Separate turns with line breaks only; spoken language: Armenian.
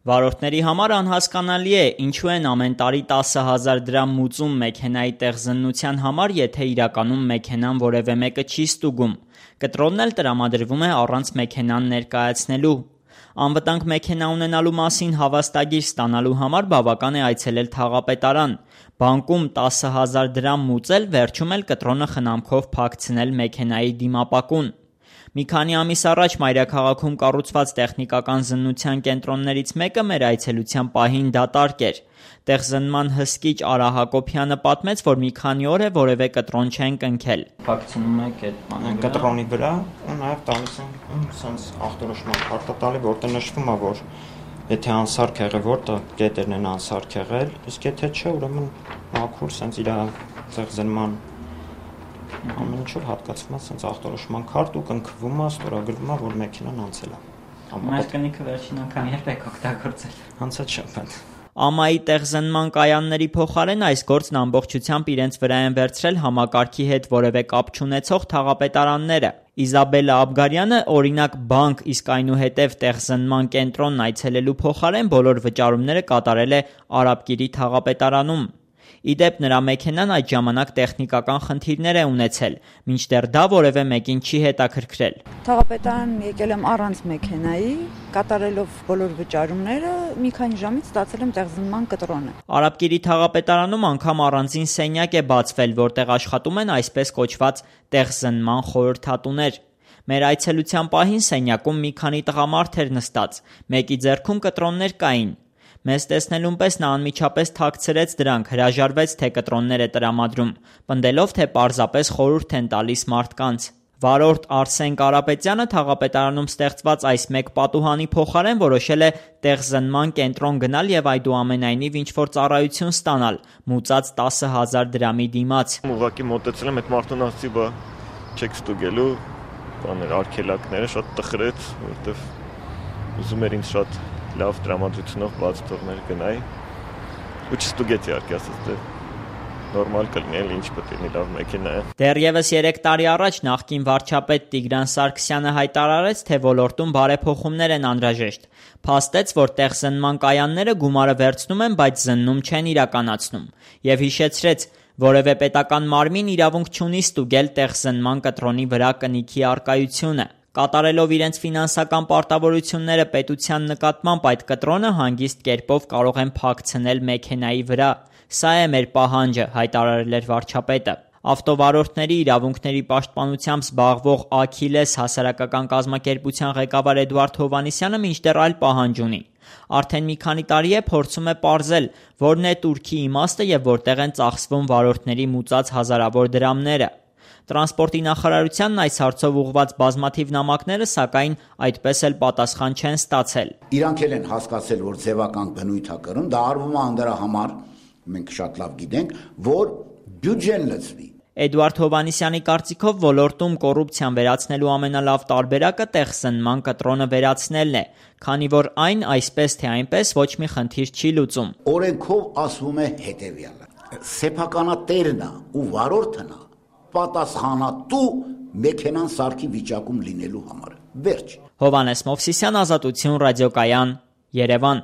Վարորդների համար անհասկանալի է, ինչու են ամեն տարի 10,000 դրամ մուծում մեքենայի տեղզննության համար, եթե իրականում մեքենան որևէ մեկը չի ստուգում։ Կտրոնն էլ տրամադրվում է առանց մեքենան ներկայացնելու։ Անվտանգ մեքենա ունենալու մասին հավաստագիր ստանալու համար բավական է այցելել թաղապետարան, բանկում 10,000 դրամ մուծել, վերջում էլ կտրոնը խնամքով փակցնել մեքենայի դիմապակուն։ Մի քանի ամիս առաջ մայրաքաղաքում կառուցված տեխնիկական զննության կենտրոններից մեկը մեր այցելության պահին դատարկ էր։ Տեղզննման հսկիչ Արա Հակոբյանը պատմեց, որ մի քանի օր է որևէ կտրոն չեն կնքել։ Փակցնում եք այդ
կտրոնի վրա ու նաև տալիս են sense ախտորոշման քարտը տալի, որտեղ նշվում է, որ եթե անսարք եղել, որտեղ կետերն են անսարք եղել, իսկ եթե չէ, ուրեմն մաքուր sense իր տեղզննման ամեն ինչով հատկացվում է sense ախտորոշման քարտ ու կնքվում է, ստորագրվում է, որ մեքենան անցել է։
Այդ կնիքը վերջին անգամ երբ եք օգտագործել։
Անցած շաբաթ։
ԱՄԱ-ի տեղզննման կայանների փոխարեն այս գործն ամբողջությամբ իրենց վրա են վերցրել համակարգի հետ որևէ կապ չունեցող թաղապետարանները։ Իզաբելլա Աբգարյանը, օրինակ, բանկ, իսկ այնուհետև տեղզննման կենտրոնն այցելելու փոխարեն բոլոր վճարումները կատարել է Արաբկիրի թաղապետարանում։ Ի դեպ, նրա մեքենան այդ ժամանակ տեխնիկական խնդիրներ է ունեցել, մինչդեռ դա որևէ մեկին չի հետաքրքրել։
Թաղապետարան եկել եմ առանց մեքենայի, կատարելով բոլոր վճարումները, մի քանի ժամից ստացել եմ տեղզննման կտրոնը։
Արաբկիրի թաղապետարանում անգամ առանձին սենյակ է բացվել, որտեղ աշխատում են այսպես կոչված տեղզննման խորհրդատուներ։ Մեր այցելության պահին սենյակում մի քանի տղամարդ էր նստած, մեկի ձեռքում կտրոններ կային։ Մեզ տեսնելուն պես նա անմիջապես թաքցրեց դրանք, հրաժարվեց, թե կտրոններ է տրամադրում, պնդելով, թե պարզապես խորհուրդ են տալիս մարդկանց։ Վարորդ Արսեն Կարապետյանը թաղապետարանում ստեղծված այս մեկ պատուհանի փոխարեն որոշել է տեղզննման կենտրոն գնալ եւ այդուամենայնիվ ինչ-որ ծառայություն ստանալ, մուծած 10,000 դրամի դիմաց։
Ուղղակի մոտեցել եմ այդ մարդուն ասացի, բա չեք ստուգելու, բաներ արգելակները շատ տխրեց, որովհետեւ ուզում էր ինձ շատ լավ տրամադրությունով բաց թողներ գնայի ու չստուգեցի իհարկե, ասած թե նորմալ կլինի, ինչ պետք է լավ մեքենա է։
Դեռևս 3 տարի առաջ նախկին վարչապետ Տիգրան Սարգսյանը հայտարարեց, թե ոլորտում բարեփոխումներ են անհրաժեշտ։ Փաստեց, որ տեղզննման կայանները գումարը վերցնում են, բայց զննում չեն իրականացնում, եւ հիշեցրեց, որևէ պետական մարմին իրավունք չունի ստուգել տեղզննման կտրոնի վրա կնիքի առկայությունը։ Կատարելով իրենց ֆինանսական պարտավորությունները պետության նկատմամբ այդ կտրոնը հանգիստ կերպով կարող են փակցնել մեքենայի վրա։ Սա է մեր պահանջը, հայտարարել էր վարչապետը։ Ավտովարորդների իրավունքների պաշտպանությամբ զբաղվող Աքիլես հասարակական կազմակերպության ղեկավար Էդուարդ Հովհաննիսյանը մինչդեռ այլ պահանջ ունի։ Արդեն մի քանի տարի է փորձում է պարզել, որն է турքի իմաստը եւ որտեղ են ծախսվում վարորդների մուծած հազարավոր դրամները։ Տրանսպորտի նախարարությանն այս հարցով ուղղված բազմաթիվ նամակները, սակայն այդպես էլ պատասխան չեն ստացել։
Իրանք էլ են հասկացել, որ ձևական բնույթ է կրում, դա արվում է դրա համար, մենք շատ լավ գիտենք, որ բյուջեն լցվի։
Էդուարդ Հովհաննիսյանի կարծիքով ոլորտում կոռուպցիան վերացնելու ամենալավ տարբերակը տեղզննման կտրոնը վերացնելն է, քանի որ այն այսպես թե այնպես ոչ մի խնդիր չի լուծում։
Օրենքով ասվում է հետևյալը. սեփականատերն է ու վարորդն է պատասխանատու մեքենան սարքի վիճակում լինելու համար։ Վերջ։
Հովհաննես Մովսիսյան, Ազատություն, ռադիոկայան, Երևան։